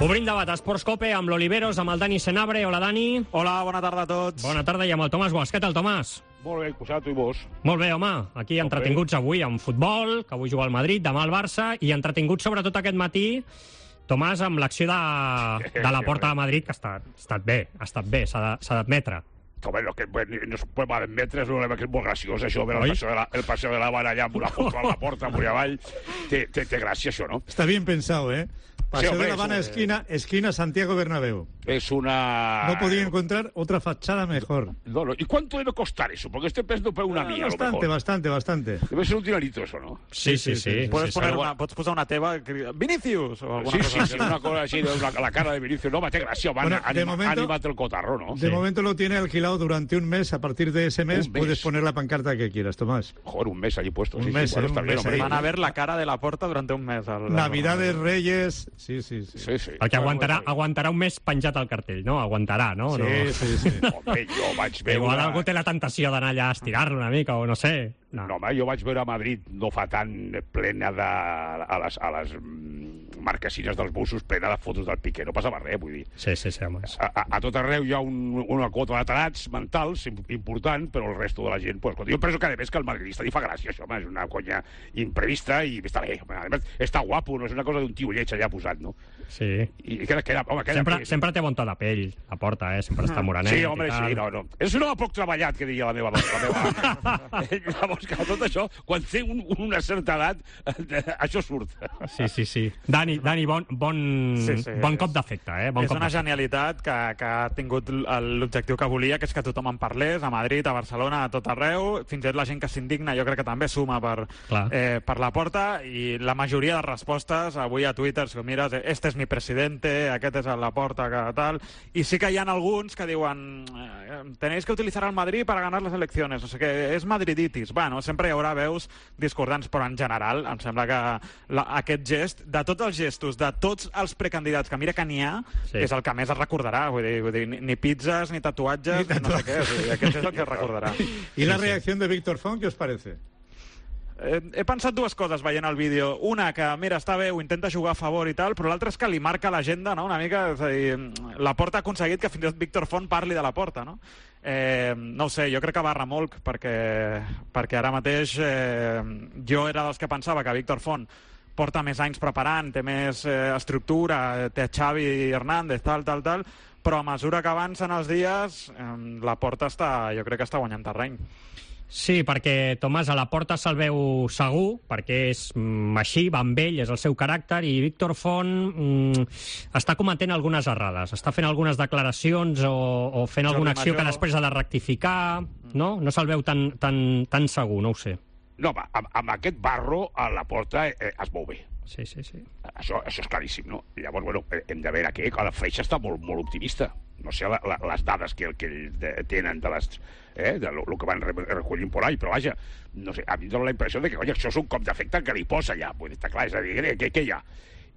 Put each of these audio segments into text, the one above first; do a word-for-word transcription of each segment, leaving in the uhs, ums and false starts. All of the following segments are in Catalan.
Obrim debat a Esports Cope amb l'Oliveros, amb el Dani Senabre. Hola, Dani. Hola, bona tarda a tots. Bona tarda, i amb el Tomàs Guas. Què tal, Tomàs? Molt bé, posat, i vos? Molt bé, home. Aquí entretinguts avui amb futbol, que avui juga el Madrid, demà el Barça, i entretinguts sobretot aquest matí, Tomàs, amb l'acció de, de la Porta de Madrid, que ha estat, ha estat bé, ha estat bé, s'ha d'admetre. Home, no, que no es pot admetre, és, és molt graciós, això, veure el passeig de la, el passeig de la Habana allà amb una foto a la porta, amunt i avall. Té, té, té gràcia, això, no? Está bien pensado, ¿eh? Paseo sí, hombre, de la Habana, es, esquina, esquina Santiago Bernabéu. Es una... No podía encontrar otra fachada mejor. No, no. ¿Y cuánto debe costar eso? Porque estoy pensando por una Ah, mía, bastante, a lo mejor. bastante, bastante. Debe ser un dinerito eso, ¿no? Sí, sí, sí. sí, Puedes, sí, poner sí. una, pots posar una teva... Vinicius! O alguna Sí, cosa sí, así. sí, una cosa así, de una, la cara de Vinicius. No, té gràcia, van, Bueno, de anima, momento- anímate el cotarro, ¿no? De momento lo tiene alquilado durante un mes. A partir de ese mes Un mes. puedes poner la pancarta que quieras, Tomás. Joder, un mes allí puesto. Un sí, mes, sí, bueno, eh, está un bien, mes hombre. ahí. Van a ver la cara de la Porta durante un mes. Al, Navidades, Reyes... Sí, sí, sí. Sí, sí. El que aguantarà, aguantarà un mes penjat al cartell, no? Aguantarà, no? Sí, no. sí, sí. Home, jo vaig veure... Igual algú té la tentació d'anar allà a estirar-lo una mica, o no sé. No. No, home, jo vaig veure a Madrid no fa tant plena de... a les, a les mm, marquesines dels busos plena de fotos del Piqué. No passava res, vull dir. Sí, sí, sí, home. A, a, a tot arreu hi ha un, una quota de tarats mentals im- important, però el resto de la gent... Pues, jo penso que, a més, que el madridista li fa gràcia, això, home, és una conya imprevista i està bé. Home, a més, està guapo, no és una cosa d'un tio lleig allà posat, no? Sí. I queda, queda, home, queda Sempre, bé. sempre té bon to de pell, la Porta, eh? Sempre està morenet Sí, home, i tal. sí, no, no. És un home poc treballat, que diria la meva, la meva àvia. Llavors, que tot això, quan té un, una certa edat, eh, això surt. Sí, sí, sí. Dani, Dani bon, bon, Sí, sí, bon és- cop d'efecte, eh? Bon És cop una d'efecte. genialitat que, que ha tingut l'objectiu que volia, que és que tothom en parlés, a Madrid, a Barcelona, a tot arreu. Fins i tot la gent que s'indigna, jo crec que també suma per, Clar. eh, per la Porta, i la majoria de respostes, avui a Twitter, si ho mires, este es mi presidente, aquest és a la Porta, que tal... I sí que hi ha alguns que diuen eh, tenéis que utilizar al Madrid para ganar las elecciones, o sigui que és madriditis. Bueno, sempre hi haurà veus discordants, però en general em sembla que la, aquest gest, de tots els gestos, de tots els precandidats, que mira que n'hi ha, Sí. és el que més es recordarà. Vull dir, vull dir ni, ni pizzas, ni tatuatges, Ni ni no sé què. Vull dir, aquest és el que es recordarà. ¿Y la reacción de Víctor Font, qué os parece? Eh, he pensat dues coses veient el vídeo. Una, que mira, està bé, ho intenta jugar a favor i tal, però l'altra és que li marca l'agenda, no?, una mica. És a dir, la Porta ha aconseguit que fins i tot Víctor Font parli de la Porta, no? Eh, no ho sé, jo crec que va remolc, perquè, perquè ara mateix eh, jo era dels que pensava que Víctor Font porta més anys preparant, té més eh, estructura, té Xavi Hernández, tal, tal, tal, però a mesura que avancen els dies, eh, la Porta està, jo crec que està guanyant terreny. Sí, perquè Tomàs a la Porta se'l veu segur, perquè és mm, així, va amb ell, és el seu caràcter, i Víctor Font mm, està cometent algunes errades, està fent algunes declaracions o, o fent Jordi alguna acció Major. que després ha de rectificar, no? No se'l veu tan, tan, tan segur, no ho sé. No, home, amb, amb aquest barro a la Porta eh, es mou bé. Sí, sí, sí. Això, això és claríssim, no? Llavors, bueno, eh, hem de veure què. La Freixa està molt, molt optimista. No sé la, la, les dades que, que ells de, tenen de les... Eh, de lo, lo que van re, recollint por ahí, però vaja, no sé, a mi em dóna la impressió de que, oi, això és un cop d'efecte que li posa ja, vull dir, està clar, és a dir, què, què hi ha?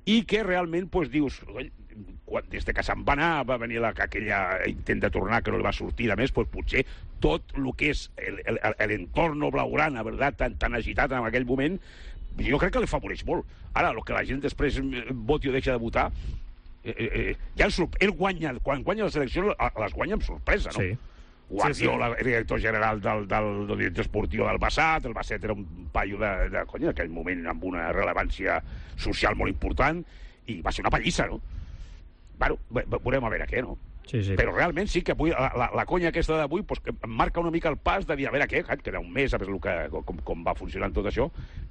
I que realment, doncs, dius, oi, quan, des de que se'n va anar, va venir la, aquella intent de tornar que no li va sortir, de més, doncs, potser tot el que és l'entorn blaugrana, verdad, tan, tan agitat en aquell moment, jo crec que li favoreix molt. Ara, el que la gent després voti o deixa de votar, eh, eh, ja el, ell guanya, quan guanya les eleccions, les guanya amb sorpresa, no? Sí. Guardiola, sí, sí. director general del, del, del director esportiu del Basset, el Basset era un paio de, de conya, en aquell moment amb una rellevància social molt important, i va ser una pallissa, no? Bueno, veurem a veure què, no? Sí, sí. Però realment sí que avui, la, la, la conya aquesta d'avui pues, que em marca una mica el pas de dir, a veure què, queda un mes, a veure el que, com, com va funcionant tot això,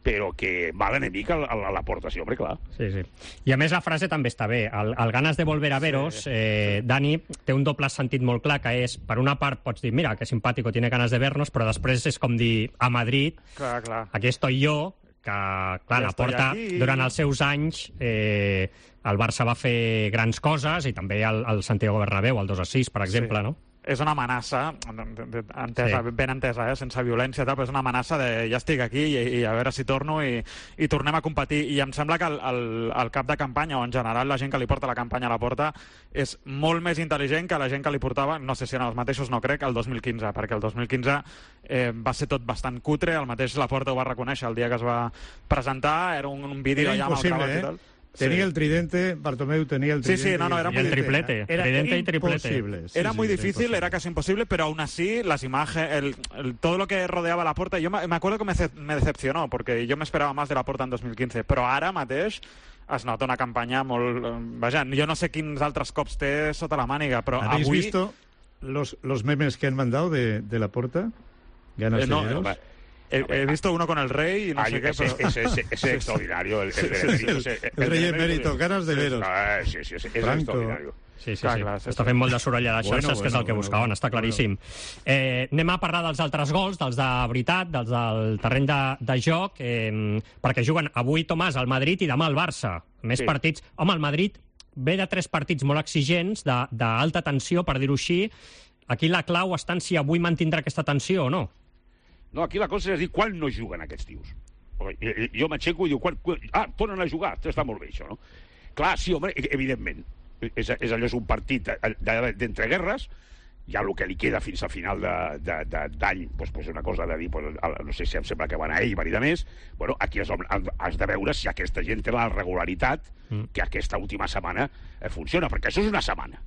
però que va l'enemic a, a, a la porta, sí, home, clar. Sí, sí. I a més la frase també està bé. El, el ganes de volver a veros, sí. eh, Dani, té un doble sentit molt clar, que és, per una part pots dir, mira, que simpàtico, tiene ganas de vernos, però després és com dir, a Madrid, Clar, clar. aquí estoy yo, que, clar, Ja la estoy Porta, aquí. durant els seus anys, eh, el Barça va fer grans coses, i també el, el Santiago Bernabéu, el dos a sis, per exemple, Sí. no? És una amenaça, entesa, Sí. ben entesa, eh? sense violència, tal, però és una amenaça de ja estic aquí i, i a veure si torno i, i tornem a competir. I em sembla que el, el, el cap de campanya, o en general la gent que li porta la campanya a la Porta, és molt més intel·ligent que la gent que li portava, no sé si eren els mateixos, no crec, el dos mil quinze, perquè el dos mil quinze eh, va ser tot bastant cutre, el mateix la Porta ho va reconèixer el dia que es va presentar, era un, un vídeo Era allà amb el impossible, Cavall eh? i tal. Tenía Sí. el tridente, Bartomeu tenía el Sí, tridente. sí, no, no, y era Y muy el difícil, triplete, Era tridente y triplete. imposible. Sí, Era sí, muy era difícil, imposible. era casi imposible, pero aún así las imágenes, el, el- todo lo que rodeaba la Porta, yo me, me acuerdo que me, ce- me decepcionó, porque yo me esperaba más de la Porta en dos mil quinze, però ara mateix es nota una campanya molt... eh, Vaja, jo no sé quins altres cops té sota la màniga, però ¿Habéis avui... visto los, los memes que han mandado de, de la Porta? Ganas Eh, de no, veros. home, He, he visto uno con el rey y no Ay, sé qué, ese, pero... ese, ese, ese extraordinario. El, el, El- el- el rey emérito, ganas de veros. Ah, sí, sí, sí, és Franco. extraordinari. Sí, sí, Clar, sí. clar, sí, Està sí. fent molt de soroll a les Bueno, xarxes, que és bueno, el que bueno, buscaven, bueno, està claríssim. Eh, anem a parlar dels altres gols, dels de veritat, dels del terreny de, de joc, eh, perquè juguen avui, Tomàs, al Madrid i demà al Barça. Més Sí. partits... Home, el Madrid ve de tres partits molt exigents, de- d'alta tensió, per dir-ho així. Aquí la clau està en si avui mantindrà aquesta tensió o no. No, aquí la cosa és dir quan no juguen aquests tios. Perquè jo m'aixeco i diu, quan, quan, ah, tornen a jugar, està molt bé això, no? Clar, sí, home, evidentment. És, és allò, és un partit d'entreguerres, ja el que li queda fins a final d'any, de, de, d'any, doncs, doncs una cosa de dir, doncs, no sé si em sembla que van a Eibar i de més, bueno, aquí has, has de veure si aquesta gent té la regularitat mm. que aquesta última setmana eh, funciona, perquè això és una setmana.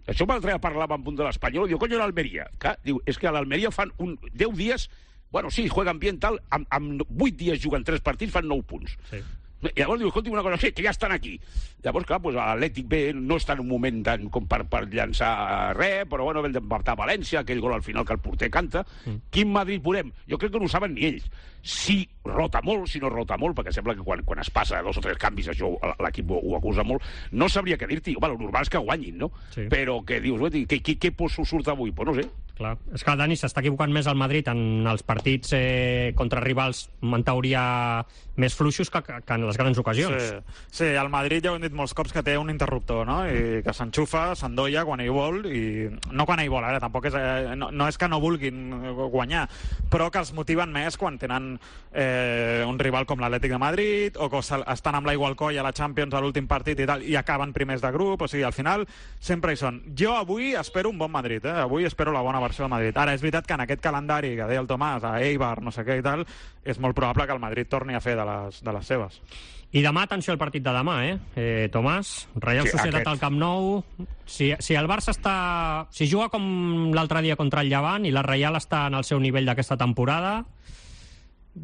Això l'altre dia parlàvem amb un de l'Espanyol, diu, coño, l'Almeria. Clar, diu, és que a l'Almeria fan un, deu dies, bueno, sí, jueguen bien tal, amb, amb vuit dies juguen tres partits, fan nou punts. Sí. I llavors diu, escolti, una cosa, sí, que ja estan aquí. Llavors, clar, doncs, l'Atlètic B no està en un moment tan, com per, per llançar res, però bueno, ven d'empatar a València, aquell gol al final que el porter canta. Mm. Quin Madrid veurem? Jo crec que no ho saben ni ells. Si rota molt, si no rota molt, perquè sembla que quan, quan es passa dos o tres canvis això l'equip ho, ho acusa molt, no sabria què dir-t'hi. Home, el normal és que guanyin, no? Sí. Però que dius, què, què, què poso surt avui? Pues no sé. Clar. És que el Dani s'està equivocant més al Madrid en els partits eh, contra rivals, en teoria, més fluixos que, que en les grans ocasions. Sí, sí, el Madrid ja ho hem dit molts cops que té un interruptor, no? I que s'enxufa, s'endolla quan ell vol, i no quan ell vol, ara tampoc és, eh, no, no és que no vulguin guanyar, però que els motiven més quan tenen eh, un rival com l'Atlètic de Madrid, o que estan amb l'aigua al coll a la Champions a l'últim partit i tal, i acaben primers de grup, o sigui, al final sempre hi són. Jo avui espero un bon Madrid, eh? Avui espero la bona versió del Madrid. Ara, és veritat que en aquest calendari que deia el Tomàs, a Eibar, no sé què i tal, és molt probable que el Madrid torni a fer de les, de les seves. I demà, atenció al partit de demà, eh? eh Tomàs, Reial Sí, Societat aquest. al Camp Nou. Si, si el Barça està... Si juga com l'altre dia contra el Llevant i la Reial està en el seu nivell d'aquesta temporada,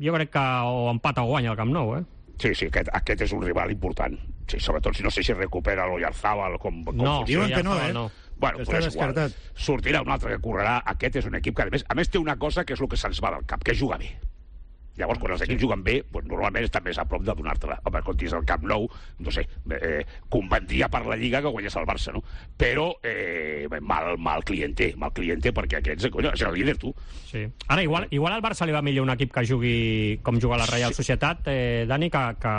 jo crec que o empata o guanya el Camp Nou, eh? Sí, sí, aquest, aquest és un rival important. Sí, sobretot si no sé si recupera l'Oyarzabal com, com No, funciona. diuen que no, Oyarzabal eh? no. Bueno, Està pues és igual. descartat. Sortirà un altre que correrà. Aquest és un equip que, a més, a més té una cosa que és el que se'ns va del cap, que juga bé. Llavors, quan els equips juguen bé, doncs, normalment està més a prop de donar-te-la. Home, quan tens el Camp Nou, no sé, eh, convendria per la Lliga que guanyés el Barça, no? Però eh, mal, mal cliente, mal cliente, perquè aquests, coño, és el líder, tu. Sí. Ara, igual, igual al Barça li va millor un equip que jugui com juga la Reial Societat, eh, Dani, que, que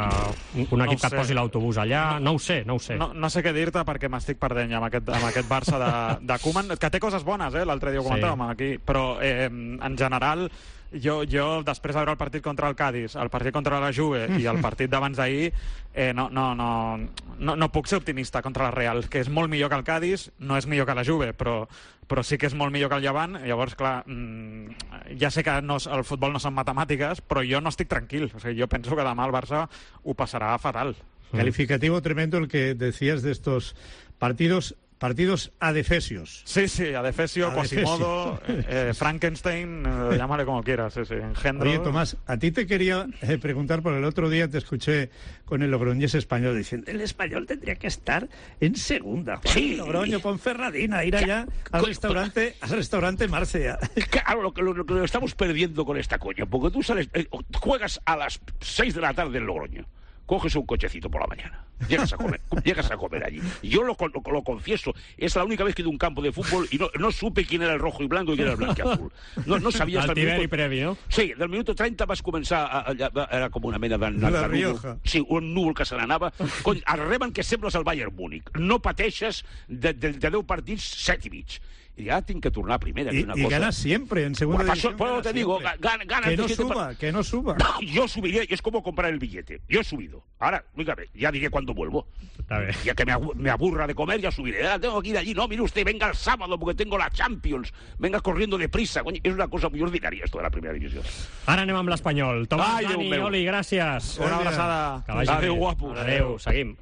un No equip ho que et sé. posi l'autobús allà. No ho sé, no ho sé. No, no sé què dir-te perquè m'estic perdent ja amb aquest, amb aquest Barça de, de Koeman, que té coses bones, eh? L'altre dia ho Sí. comentàvem aquí, però eh, en general jo, jo després de veure el partit contra el Cádiz, el partit contra la Juve i el partit d'abans d'ahir, eh, no, no, no, no, no puc ser optimista contra la Real, que és molt millor que el Cádiz, no és millor que la Juve, però, però sí que és molt millor que el Llevant. Llavors, clar, mmm, ja sé que no, el futbol no són matemàtiques, però jo no estic tranquil. O sigui, jo penso que demà el Barça ho passarà fatal. Calificativo tremendo el que decías de estos partidos, partidos adefesios. Sí, sí, Adefesio, Adefesio. Quasimodo, eh, Frankenstein, eh, llámale como quieras, sí, sí, engendro. Oye, Tomás, a ti te quería eh, preguntar, por el otro día te escuché con el Logroñés español diciendo el español tendría que estar en segunda. Juan, Sí. Logroño, Ponferradina, ir allá al Co- restaurante, al restaurante Marcia. Claro, lo que, lo, lo que lo estamos perdiendo con esta coña, porque tú sales, eh, juegas a las seis de la tarde en Logroño, coges un cochecito por la mañana, llegas a comer, llegas a comer allí. Yo lo, lo, lo confieso, es la única vez que he ido a un campo de fútbol y no, no supe quién era el rojo y blanco y quién era el blanco y azul. No, no sabia hasta El el tiberi minuto... previ, no? Sí, del minuto trenta vas començar a, a, a, era com una mena de, de, La de núvol. Rioja. Sí, un núvol que se n'anava. Cony, arriben que sembles el Bayern Múnich. No pateixes de, de, de deu partits, set i mig. Y ya tienen que turnar a primera. Y, una y cosa. ganas siempre en segunda Bueno, división. por eso ganas te digo, siempre. gana, ganas que no de siete suba, par- que no suba. Yo subiría, es como comprar el billete. Yo he subido. vuelvo. Ahora, dígame, ya diré cuándo vuelvo. Está bien. Ya que me, abu- me aburra de comer, ya subiré. Ah, tengo que ir allí. No, mire usted, venga el sábado porque tengo la Champions. Venga corriendo deprisa. Coño, es una cosa muy ordinaria esto de la primera división. Ara anem amb l'Espanyol. Tomàs, Ai, Déu Dani, meu. Oli, gràcies. Una abraçada. Que vagi Adéu, bé. guapos. Adéu, seguim.